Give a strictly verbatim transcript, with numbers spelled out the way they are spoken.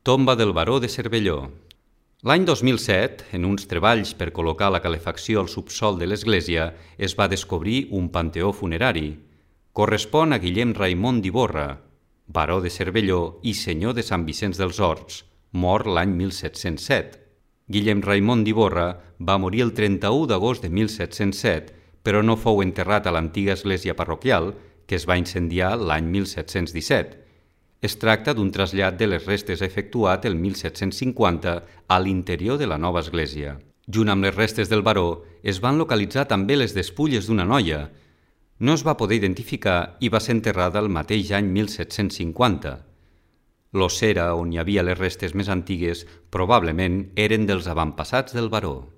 Tomba del baró de Cervelló. L'any dos mil set, en uns treballs per col·locar la calefacció al subsòl de l'església, es va descobrir un panteó funerari. Correspon a Guillem Raimon d'Ivorra, baró de Cervelló i senyor de Sant Vicenç dels Horts, mort l'any mil set-cents set. Guillem Raimon d'Ivorra va morir el trenta-u d'agost de mil set-cents set, però no fou enterrat a l'antiga església parroquial, que es va incendiar l'any mil set-cents disset. Es tracta d'un trasllat de les restes efectuat el mil set-cents cinquanta a l'interior de la nova església. Junt amb les restes del baró es van localitzar també les despulles d'una noia. No es va poder identificar i va ser enterrada el mateix any mil set-cents cinquanta. L'ossera on hi havia les restes més antigues probablement eren dels avantpassats del baró.